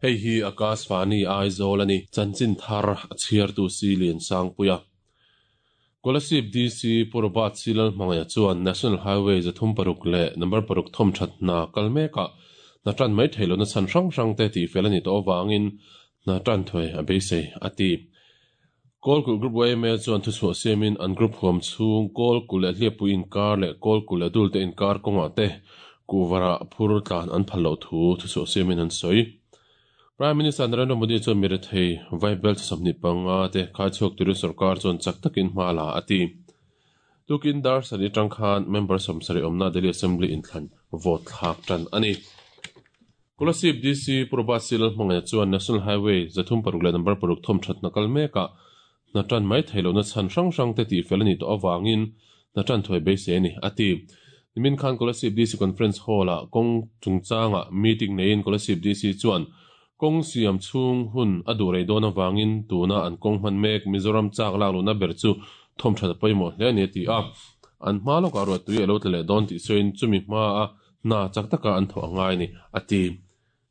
Hei hi Akashvani Aizawl a ni. Chanchin thar a chhiartu si Liansangpuia. Kolasib DC Pu Robert C Lalhmangaih chuan National Highway 36 leh number 6 thawm that hna kal mekah hna tan mai theih lohna chhan hrang hrang te tihfel a nih tawh avangin hna tan thuai a beisei a ti. Kawlkulh Group YMA chuan thuchhuah siamin an group huam chhung Kawlkulh leh Hliappui inkar leh Kawlkulh leh Dulte inkar kawngah te kuhvarah phur tlan an phal loh thu thuchhuah siamin an sawi. Prime Minister Narendra Modi chuan mi rethei Vaibel 25 te khaichhuak turin sorkar chuan chak takin hma la a ti. Tukin dar sarih atang khan member 70 awmna Delhi Assembly inthlan vote thlak tan a ni. Kolasib DC Pu Robert C Lalhmangaih chuan National Highway 36 leh number 6 thawm that hna kal mekah hna tan mai theih lohna chhan hrang hrang te tihfel a nih tawh avangin hna tan thuai beisei a ni a ti. Nimin khan Kolasib DC Conference Hall-ah kawng chungchangah meeting neiin Kolasib DC chuan kawng siam chhung hun a duh rei dawn avangin tuna an kawng hman mek Mizoram chak lak lohna ber chu thawm that a pawimawh hle a ni a ti a. An hma lawkah ruahtui a lo tla leh dawn tih sawiin chumi hmaa hna chak taka an thawh a ngai a ni a ti.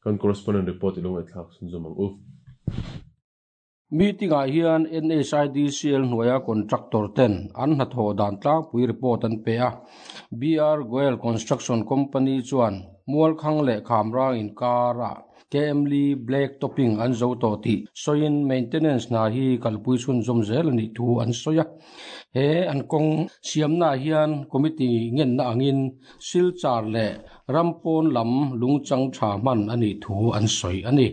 Kan correspondent report i lo ngaihthlak chhunzawm ang u. Meeting ah hian NHIDCL hnuaia contractor ten an hnathawh dan tlangpui report an pe a. BR Goel Construction Company chuan Mualkhang leh Khamrang inkarah KM Li Black Topping an zo tawh tih sawiin maintenance hna hi kalpui chhunzawm zel a nih thu an sawi a. He an kawng siamnaah hian committee ngenna angin Silchar leh Rampawn lam lungchang tha hman a nih thu an sawi a ni.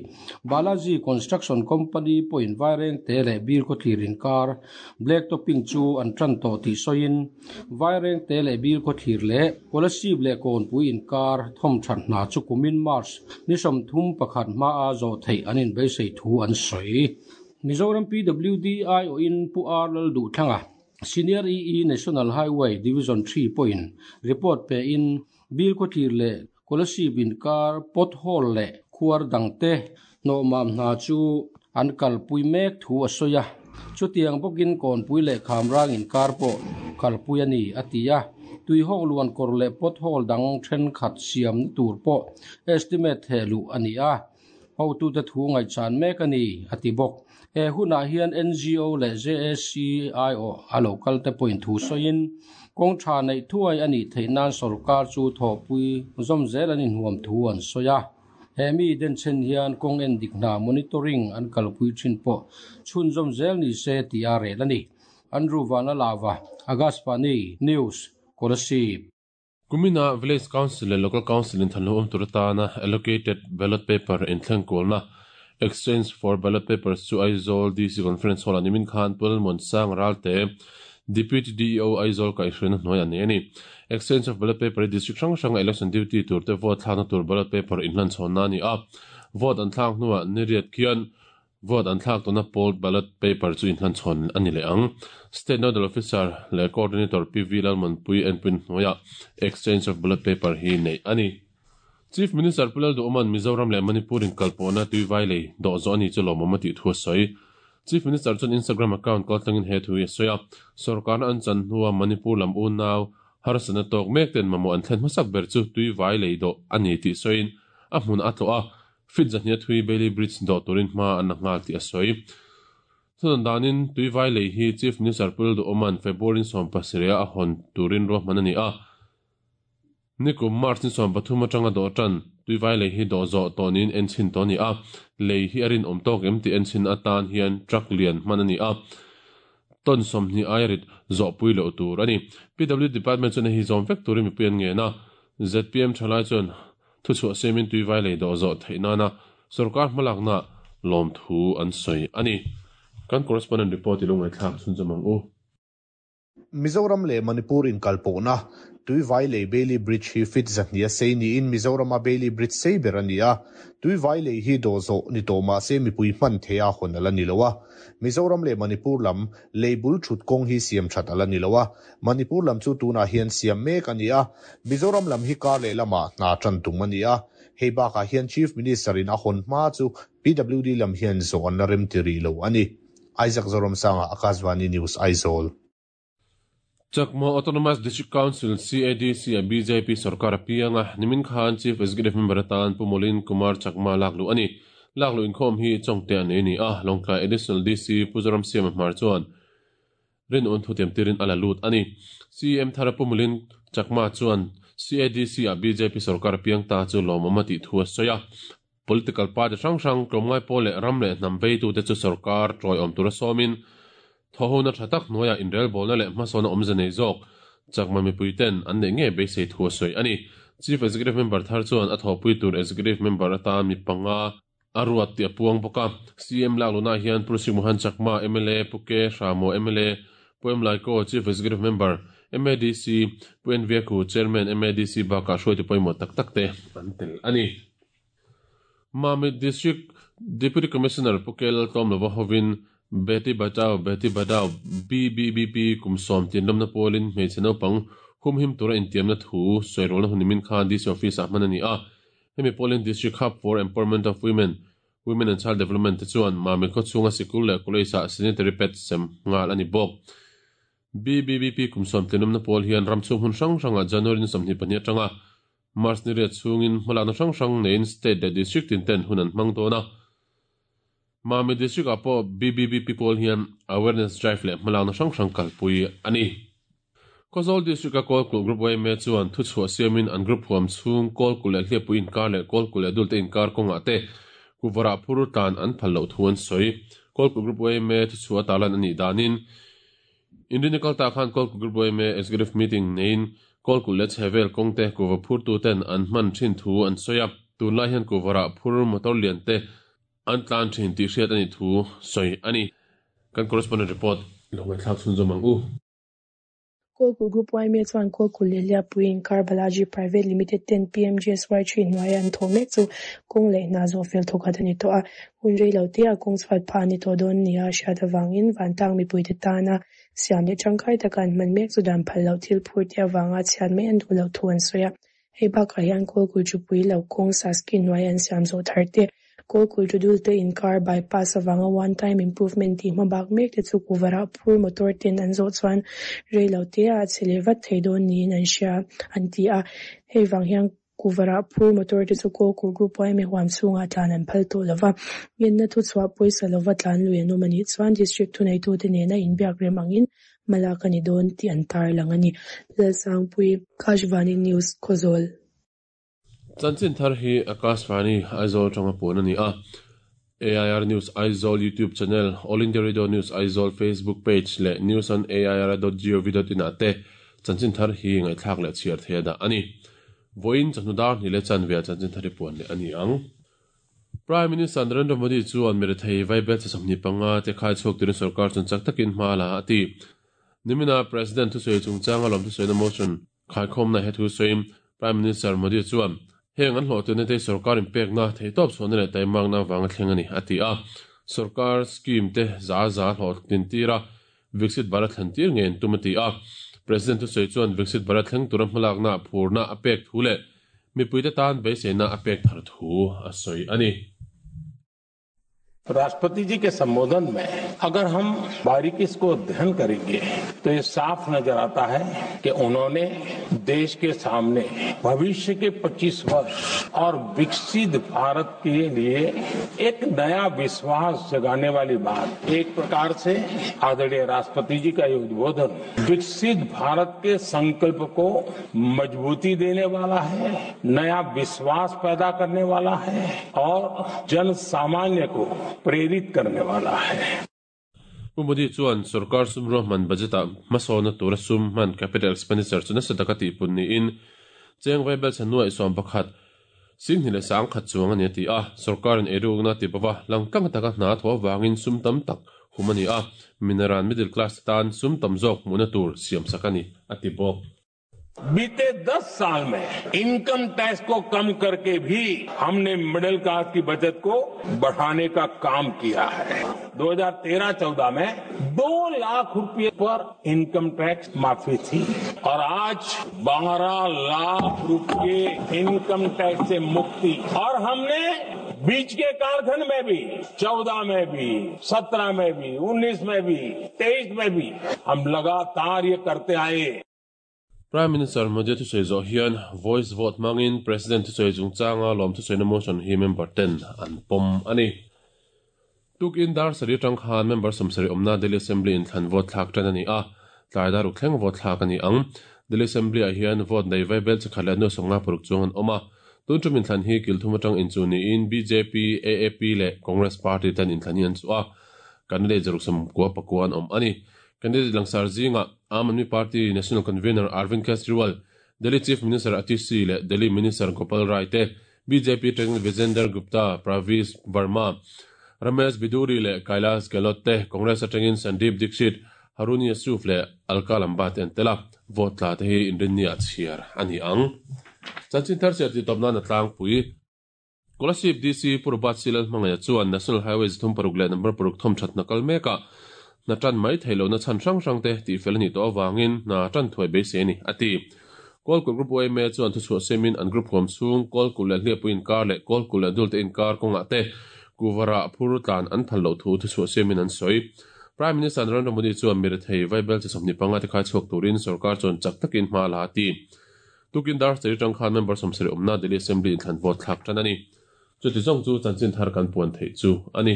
Balaji Construction Company pawhin Vairengte leh Bilkhawthlir inkar Black Topping chu an tan tawh tih sawiin Vairengte leh Bilkhawthlir leh Kolasib leh Kawnpui inkar thawm that hna chu kumin March ni 31 hmaa zawh theih an inbeisei thu an sawi. Mizoram PWD aiawhin Pu R Lalduhthlanga Senior EE National Highway Division 3 pawhin report pe in Bilkhawthlir leh Kolasib inkar pothole leh khuar dangte hnawhmam hna chu an kalpui mek thu a sawi a. Chutiang bawkin Kawnpui leh Khamrang inkar pawh kalpui a ni a ti a. Tuihawk luan kawr leh pothole dang thenkhat siamna tur pawh estimate thehluh a ni a. Hotute thu ngaihchan mek a ni a ti bawk. He hunah hian NGO leh JAC aiawh a lo kal te pawhin thu sawiin kawng tha neih thuai a nih theih nan sorkar chu thawhpui zawm zel an inhuam thu an sawi a. He mi denchhen hian kawng en dik hna monitoring an kalpui thin pawh chhunzawm zel ni se tih a rel a ni. Andrew Vanlalava, Akashvani News, Kolasib. Kumina Village Council leh Local Council inthlan lo awm tur atana allocated ballot paper inthleng kualna exchange for ballot papers chu Aizawl DC Conference Hall-ah nimin khan Pu Lalmuansang Ralte, Deputy DEO Aizawl kaihhruaina hnuai a nei a ni. Exchange of ballot paper hi district hrang hranga election duty turte vote thlakna tur ballot paper inhlan chhawnna a ni a. Vote an thlak hnuah niriat khian Vote an thlak tawhna polled ballot paper chu inhlan chhawn a ni leh ang. State Nodal Officer leh Coordinator PV Lalmanpui enpui hnuaiah exchange of ballot paper hi neih a ni. Chief Minister Pu Lalduhawma'n Mizoram leh Manipur inkalpawhna tuivai lei dawh zawh a ni chu lawmawm a tih thu a sawi. Chief Minister chuan Instagram account kaltlangin he thu hi a sawi a, Sorkarna an chan hnua Manipur lam unau harsatna tawk mek ten mamawh an thlen hmasak ber chu tuivai lei dawh a ni tih sawiin a hmun a tlawh a, Feet 200 thui Bailey Bridge dawh turin hma an la nghal tih a sawi. Thudan danin tuivai lei hi Chief Minister Pu Lalduhawma'n February 17 a hawn turin ruahman a ni a. Nikum March ni 13 atanga dawh tan tuivai lei hi dawh zawh tawh niin enchhin tawh a ni a. Lei hi a rinawm tawk em tih enchhin atan hian truck lian hman a ni a. Ton 20 aia rit zawhpui loh tur a ni. PW Department chuan hei hi zawm vek turin mipui an ngen a. ZPM thalai chuan thuchhuah siamin tuivai lei dawh zawh theih nana sorkar hmalakna lawmthu an sawi a ni. Kan correspondent report i lo ngaihthlak chhunzawm ang u. Mizoram leh Manipur inkalpawhna Tuivai lei Bailey Bridge hi feet 200 a sei niin Mizorama Bailey Bridge sei ber a ni a. Tuivai lei hi dawh zawh ni tawh mah se mipui hman theih a hawn a la ni lo a. Mizoram leh Manipur lam lei bul thut kawng hi siam that a la ni lo a. Manipur lam chu tunah hian siam mek a ni a, Mizoram lam hi kar leh lamah hna tan tum a ni a. Hei bakah hian Chief Minister in a hawn hma chu PWD lam hian zawh an la rem ti rih lo a ni. Isaac Zoramsanga, Akashvani News, Aizawl. Chakma Autonomous District Council, CADC, a BJP sorkar a piang a, nimin khan Chief Executive Member atan Pu Molin Kumar Chakma lak luh a ni. Lakluh inkhawm hi Chawngte ah nei a ni a, Lawngtlai Additional DC Pu Zoramsiama Hmar chuan rinawm thutiam tirin a la lut a ni. CM thara Pu Mulin Chakma chuan CADC ah bjp sorkar a piang ta chu lawmawm a tih thu a sawi a. Political party hrang hrang, tlawmngai pawl leh ram leh hnam veitute chu sorkar tawiawm tura sawmin thawhona tha tak hnuaiah inrelbawlna leh hmasawn a awmze nei zawk Chakma mipuiten an neih ngei beisei thu a sawi a ni. Chief Executive Member thar chuan a thawhpui tur Executive Member atan mi panga a ruat tih a puang bawk a. CM laklunah hian Pu Sri Mohan Chakma, mla, Pu K. Hramo, mla, Pu M. Laiko, Chief Executive Member, MADC, Pu N. Viaku, Chairman, MADC bakah hruaitu pawimawh tak tak te an tel a ni. Mamit District Deputy Commissioner Pu K. Laltlawmlova hovin Beti Bachao Beti Padhao, BBBP, kum 90 lawmna pawlin hmeichhe naupang humhim tura intiamna thu sawi rawlna hun nimin khan DC Office-ah hman a ni a. Hemi pawlin District Hub for Empowerment of Women, Women and Child Development te chuan Mamit khawchhunga sikul leh college-ah sanitary pads sem nghal a ni bawk. BBBP kum 90 lawmna pawl hian ram chhung hmun hrang hrangah January ni 22 atanga March ni riat chhungin hmalakna hrang hrang neiin state leh district tin ten hun an hmang dawn a. Mami district ah pawh BBBP pawl hian awareness drive leh hmalakna hrang hrang kalpui a ni. Khawzawl district a Kawlkulh Group yma chuan thuchhuah siamin an group huam chhung Kawlkulh leh Hliappui inkar leh Kawlkulh leh Dulte inkar kawngah te kuvarah phur tlan an phal loh thu an sawi. Kawlkulh Group yma thuchhuah tarlan a nih danin Inrinni kal ta khan Kawlkulh Group yma Executive Meeting neiin Kawlkulh leh chhevel kawngte kuhva phurtu ten an hman thin thu an sawi a, tunlai hian kuhvarah phur motor lian te an tlan thin tih hriat a nih thu sawi a ni. Kan correspondent report lo ngaihthlak chhunzawm ang u. Kawlkulh Group yma chuan Kawlkulh leh Liapui inkar Balaji Private Limited ten PMGSY three hnuaia an thawh mek chu kawng leh hna zawh fel thawkhat a ni tawh a. Hun rei lo te ah kawng chhuat phah a ni tawh dawn nia a hriat avangin vantlang mipuite tana siam leh tangkai taka an hman mek chu dan phal loh thil phur te avanga chhiat mai an duh loh thu an sawi a. Hei bakah hian Kawlkulh Chupui lo kawng Saski hnuai an siam zawh thar te, Kawlkulh Tudulte inkar bypass avanga one time improvement tih hma bak mek te chu kuvarah phur motor ten an zawh chuan rei lo te ah a chhe leh vat thei dawn niin an hria an ti a. Hei vang hian kuvarah phur motor te chu Kawlkulh Group yma huam chhungah tlan an phal tawh lova, ngenna thuchhuah pawisa lova tlan lui an awm a nih chuan District thuneitute nena inbiak rem angin Hmalak a ni dawn tih an tarlang a ni. Lalsangpui, Akashvani News, Khawzawl. Chanchin thar hi Akashvani, Aizawl atanga puan a ni a. AIR News Aizawl YouTube channel, All India Radio News Aizawl Facebook page leh news on air dot gov dot in ah te chanchin thar hi ngaihthlak leh chhiar thei a dah a ni. Vawiin chawhnu dar hnih leh chanve ah chanchin thar hi puan leh a ni ang. Prime Minister Narendra Modi chuan mirethei vaibel chi 25 te khai chhuak turin sorkar chuan chak takin hma a la a ti. Nimina President thusawi chungchanga lawm thusawina motion khaikhawmna he thu sawiin Prime Minister Modi chuan heng an hlawhtlina te sorkar inpekna theihtawp chhuahna leh taimakna avanga thleng a ni a ti a. Sorkar scheme te za za hlawhtlin tira Viksit Bharat thlen tir ngei an tum a ti a. President thusawi chuan Viksit Bharat thleng tura hmalakna phurna a pek thu leh mipuite tan beiseina a pek thar thu a sawi a ni. राष्ट्रपति जी के संबोधन में अगर हम बारीकी इसको अध्ययन करेंगे तो ये साफ नजर आता है कि उन्होंने देश के सामने भविष्य के 25 वर्ष और विकसित भारत के लिए एक नया विश्वास जगाने वाली बात, एक प्रकार से आदरणीय राष्ट्रपति जी का ये उद्बोधन विकसित भारत के संकल्प को मजबूती देने वाला है, नया विश्वास पैदा करने वाला है और जन सामान्य को प्रेरित करने वाला है। Pu Modi chuan sorkar sum ruahman budget-ah hmasawnna tura sum hman capital expenditure chu nasa taka tihpun niin cheng vaibel chhan nuaih 11 singhnih leh 10,000 chuang a ni a ti a. Sorkarin eirukna ti bova langtlang taka hna thaw avangin sum tam tak hum a ni a, minaran middle class te tan sum tam zawk hmuhna tur siamsak a ni a ti bawk. बीते 10 साल में income tax को कम करके भी हमने middle class की बचत को बढ़ाने का काम किया है। 2013-14 में 2 लाख रुपए पर इनकम टैक्स माफी थी और आज 12 लाख रुपए इनकम टैक्स से मुक्ति। और हमने बीच के कालखंड में भी, 14 में भी, 17 में भी, 19 में भी, 23 में भी हम लगातार ये करते आए। Prime Minister Modi thusawi zawh hian voice vote hmangin President thusawi chungchanga lawm thusawina motion hi member ten an pawm a ni. Tukin dar sarih atang khan member 70 awmna Delhi Assembly inthlan vote thlak tan a ni a, tlai dar ruk thleng vote thlak a ni ang. Delhi Assembly ah hian vote nei vai bel chakhat leh nuai 56 chuang an awm a. Tun tum inthlan hi kil thum atang inchuh niin bjp, AAP leh Congress party ten inthlan hi an chuh a, candidate 199 an awm a ni. Candidate langsar zingah Aam Aadmi Party National Convener Arvind Kejriwal, Delhi Chief Minister Atishi leh Delhi Minister Gopal Rai te, bjp President Vijender Gupta, Pravesh Verma, Ramesh Bidhuri leh Kailash Gehlot te, Congress atangin Sandeep Dikshit, Harun Yusuf leh Alka Lamba te an tel a, vote tla te hi inrinni ah chhiar a ni ang. Chanchin thar chiah tih tawp nan a tlangpui. Kolasib DC Pu Robert C. Lalhmangaia chuan National Highway 36 leh number paruk thawm that hna kal mekah hna tan mai theih lohna chhan hrang hrang te tihfel a nih tawh avangin hna tan thuai beisei a ni, a ti. Kawlkulh Group yma chuan thuchhuah siamin an group huam chhung Kawlkulh leh Hliapui inkar leh Kawlkulh leh Dulte inkar kawngah te kuvarah phur tlan an phal loh thu thuchhuah siamin an sawi. Prime Minister Narendra Modi chuan mirethei vaibel chi 25 te khai chhuak turin sorkar chuan chak takin hma a la a ti. Tukin dar sarih atang khan member 70 awmna Delhi Assembly inthlan vote thlak tan a ni. Chuti zawng chu chanchin thar kan puan theih chu a ni.